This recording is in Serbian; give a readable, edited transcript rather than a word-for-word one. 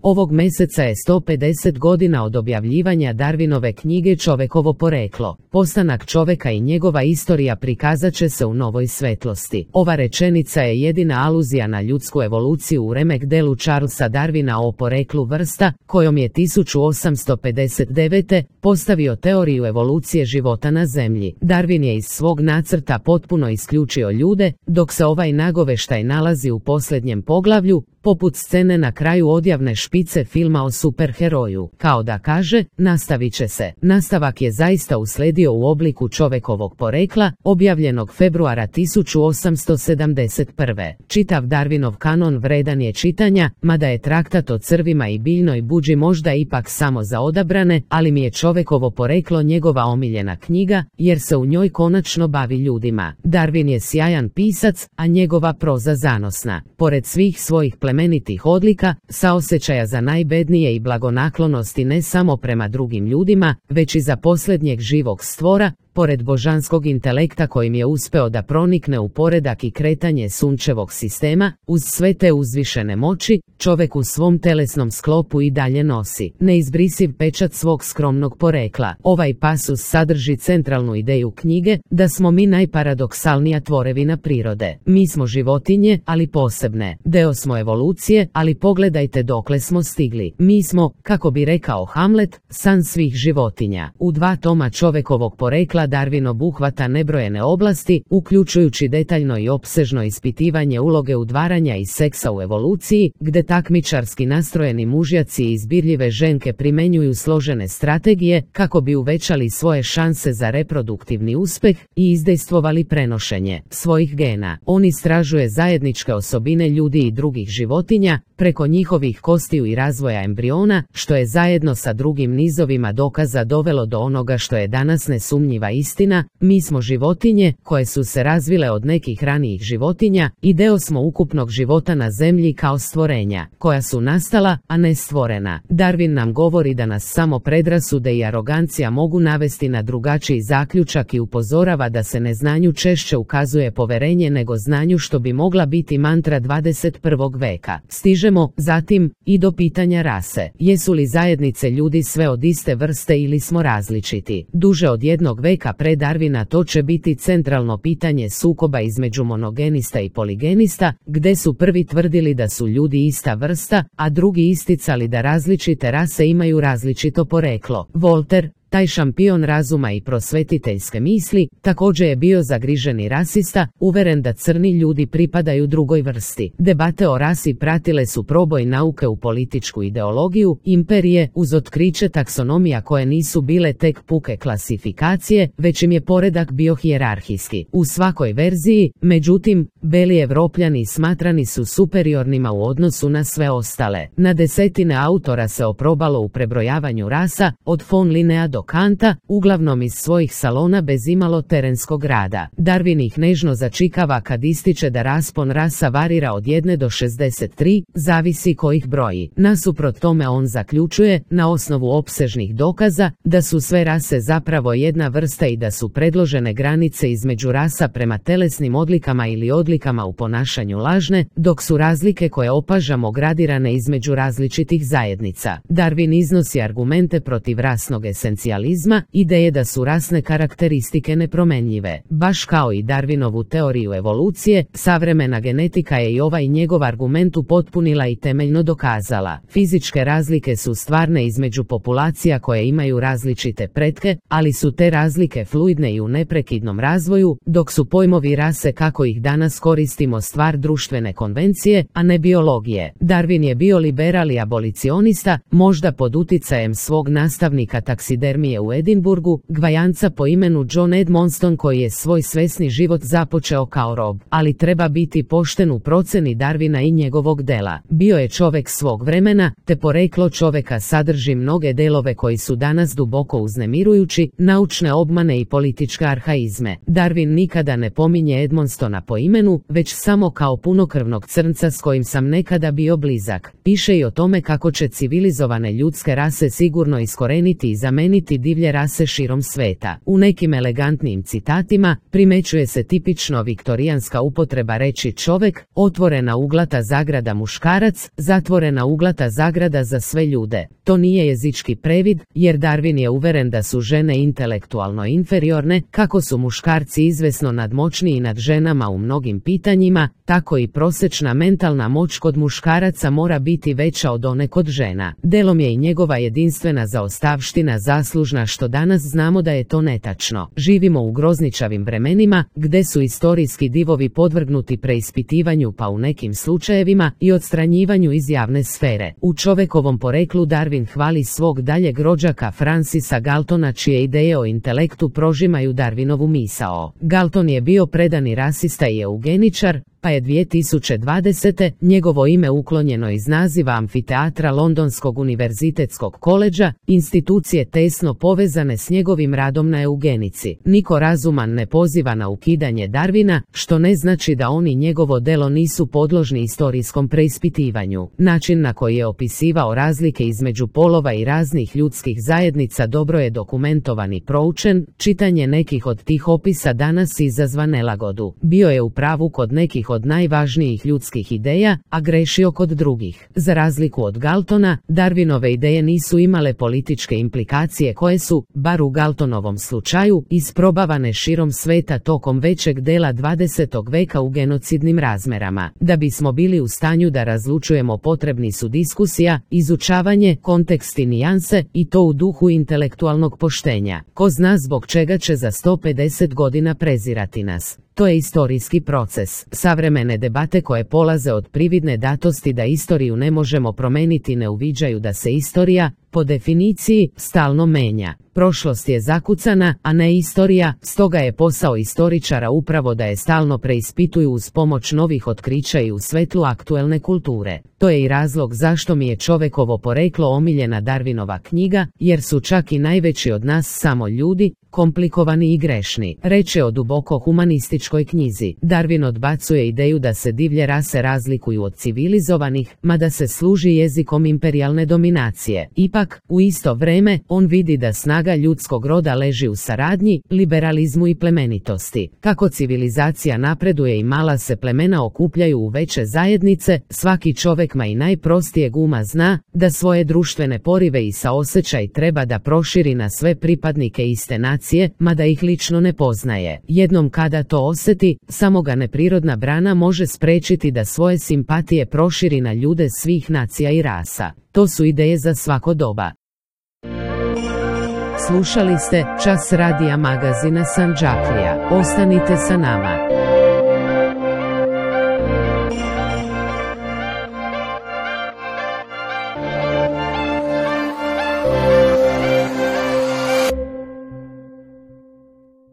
Ovog meseca je 150 godina od objavljivanja Darwinove knjige Čovekovo poreklo. Postanak čoveka i njegova istorija prikazat će se u novoj svetlosti. Ova rečenica je jedina aluzija na ljudsku evoluciju u remek delu Charlesa Darwina o poreklu vrsta, kojom je 1859. postavio teoriju evolucije života na Zemlji. Darwin je iz svog nacrta potpuno isključio ljude, dok se ovaj nagoveštaj nalazi u posljednjem poglavlju, poput scene na kraju odjavne špice filma o superheroju. Kao da kaže, nastavit će se. Nastavak je zaista usledio u obliku Čovekovog porekla, objavljenog februara 1871. Čitav Darwinov kanon vredan je čitanja, mada je traktat o crvima i biljnoj buđi možda ipak samo za odabrane, ali mi je Čovekovo poreklo njegova omiljena knjiga, jer se u njoj konačno bavi ljudima. Darwin je sjajan pisac, a njegova proza zanosna. Pored svih svojih plemenitih odlika, saosjećaja za najbednije i blagonaklonosti ne samo prema drugim ljudima, već i za posljednjeg živog stvora, pored božanskog intelekta kojim je uspeo da pronikne u poredak i kretanje sunčevog sistema, uz sve te uzvišene moći, čovek u svom telesnom sklopu i dalje nosi neizbrisiv pečat svog skromnog porekla. Ovaj pasus sadrži centralnu ideju knjige, da smo mi najparadoksalnija tvorevina prirode. Mi smo životinje, ali posebne. Deo smo evolucije, ali pogledajte dokle smo stigli. Mi smo, kako bi rekao Hamlet, san svih životinja. U 2 toma Čovekovog porekla Darwin obuhvata nebrojene oblasti, uključujući detaljno i opsežno ispitivanje uloge udvaranja i seksa u evoluciji, gde takmičarski nastrojeni mužjaci i izbirljive ženke primenjuju složene strategije kako bi uvećali svoje šanse za reproduktivni uspeh i izdejstvovali prenošenje svojih gena. On istražuje zajedničke osobine ljudi i drugih životinja, preko njihovih kostiju i razvoja embriona, što je zajedno sa drugim nizovima dokaza dovelo do onoga što je danas nesumnjiva istina: mi smo životinje koje su se razvile od nekih ranijih životinja i deo smo ukupnog života na Zemlji kao stvorenja, koja su nastala, a ne stvorena. Darwin nam govori da nas samo predrasude i arogancija mogu navesti na drugačiji zaključak i upozorava da se neznanju češće ukazuje poverenje nego znanju, što bi mogla biti mantra 21. veka. Stižemo, zatim, i do pitanja rase. Jesu li zajednice ljudi sve od iste vrste ili smo različiti? Duže od jednog veka pre Darwina to će biti centralno pitanje sukoba između monogenista i poligenista, gde su prvi tvrdili da su ljudi ista vrsta, a drugi isticali da različite rase imaju različito poreklo. Voltaire, taj šampion razuma i prosvetiteljske misli, također je bio zagriženi rasista, uveren da crni ljudi pripadaju drugoj vrsti. Debate o rasi pratile su proboj nauke u političku ideologiju, imperije, uz otkriće taksonomija koje nisu bile tek puke klasifikacije, već im je poredak bio hijerarhijski. U svakoj verziji, međutim, beli Evropljani smatrani su superiornima u odnosu na sve ostale. Na desetine autora se oprobalo u prebrojavanju rasa, od von Linnea do Kanta, uglavnom iz svojih salona bez imalo terenskog rada. Darwin ih nežno začikava kad ističe da raspon rasa varira od 1 do 63, zavisi ko ih broji. Nasuprot tome on zaključuje, na osnovu opsežnih dokaza, da su sve rase zapravo jedna vrsta i da su predložene granice između rasa prema telesnim odlikama ili odlikama u ponašanju lažne, dok su razlike koje opažamo gradirane između različitih zajednica. Darwin iznosi argumente protiv rasnog esencijalizma, ideje da su rasne karakteristike nepromenljive. Baš kao i Darwinovu teoriju evolucije, savremena genetika je i ovaj njegov argument upotpunila i temeljno dokazala. Fizičke razlike su stvarne između populacija koje imaju različite pretke, ali su te razlike fluidne i u neprekidnom razvoju, dok su pojmovi rase kako ih danas koristimo stvar društvene konvencije, a ne biologije. Darwin je bio liberal i abolicionista, možda pod uticajem svog nastavnika taksidermije u Edinburgu, Gvajanca po imenu John Edmonston, koji je svoj svesni život započeo kao rob. Ali treba biti pošten u proceni Darwina i njegovog dela. Bio je čovek svog vremena, te poreklo čoveka sadrži mnoge delove koji su danas duboko uznemirujući, naučne obmane i političke arhaizme. Darwin nikada ne pominje Edmonstona po imenu, već samo kao punokrvnog crnca s kojim sam nekada bio blizak. Piše i o tome kako će civilizovane ljudske rase sigurno iskoreniti i zameniti štiti divlje rase širom sveta. U nekim elegantnijim citatima primećuje se tipično viktorijanska upotreba reči čovek, otvorena uglata zagrada muškarac, zatvorena uglata zagrada za sve ljude. To nije jezički previd, jer Darwin je uveren da su žene intelektualno inferiorne, kako su muškarci izvesno nadmoćniji nad ženama u mnogim pitanjima, tako i prosječna mentalna moć kod muškaraca mora biti veća od one kod žena. Delom je i njegova jedinstvena zaostavština zaslužna što danas znamo da je to netačno. Živimo u grozničavim vremenima, gde su istorijski divovi podvrgnuti preispitivanju pa u nekim slučajevima i odstranjivanju iz javne sfere. U Čovekovom poreklu Darwin hvali svog daljeg rođaka Francisa Galtona, čije ideje o intelektu prožimaju Darwinovu misao. Galton je bio predani rasista i eugeničar, pa je 2020. njegovo ime uklonjeno iz naziva amfiteatra Londonskog univerzitetskog koledža, institucije tesno povezane s njegovim radom na eugenici. Niko razuman ne poziva na ukidanje Darwina, što ne znači da on i njegovo delo nisu podložni istorijskom preispitivanju. Način na koji je opisivao razlike između polova i raznih ljudskih zajednica dobro je dokumentovan i proučen, čitanje nekih od tih opisa danas izazva nelagodu. Bio je u pravu kod nekih od najvažnijih ljudskih ideja, a grešio kod drugih. Za razliku od Galtona, Darwinove ideje nisu imale političke implikacije koje su, bar u Galtonovom slučaju, isprobavane širom sveta tokom većeg dela 20. veka u genocidnim razmerama. Da bismo bili u stanju da razlučujemo, potrebni su diskusija, izučavanje, kontekst i nijanse, i to u duhu intelektualnog poštenja. Ko zna zbog čega će za 150 godina prezirati nas. To je istorijski proces. Savremene debate koje polaze od prividne datosti da istoriju ne možemo promeniti ne uviđaju da se istorija, po definiciji, stalno menja. Prošlost je zakucana, a ne istorija, stoga je posao istoričara upravo da je stalno preispituju uz pomoć novih otkrića i u svetlu aktuelne kulture. To je i razlog zašto mi je Čovekovo poreklo omiljena Darwinova knjiga, jer su čak i najveći od nas samo ljudi, komplikovani i grešni. Reče o duboko humanističkoj knjizi. Darwin odbacuje ideju da se divlje rase razlikuju od civilizovanih, mada se služi jezikom imperijalne dominacije. Ipak, u isto vreme, on vidi da snaga ljudskog roda leži u saradnji, liberalizmu i plemenitosti. Kako civilizacija napreduje i mala se plemena okupljaju u veće zajednice, svaki čovek ma i najprostijeg uma zna da svoje društvene porive i saosećaj treba da proširi na sve pripadnike iste nacije, mada ih lično ne poznaje. Jednom kada to osjeti, samo ga neprirodna brana može sprečiti da svoje simpatije proširi na ljude svih nacija i rasa. To su ideje za svako doba. Slušali ste Čas radija magazina Sandžaklija. Ostanite sa nama.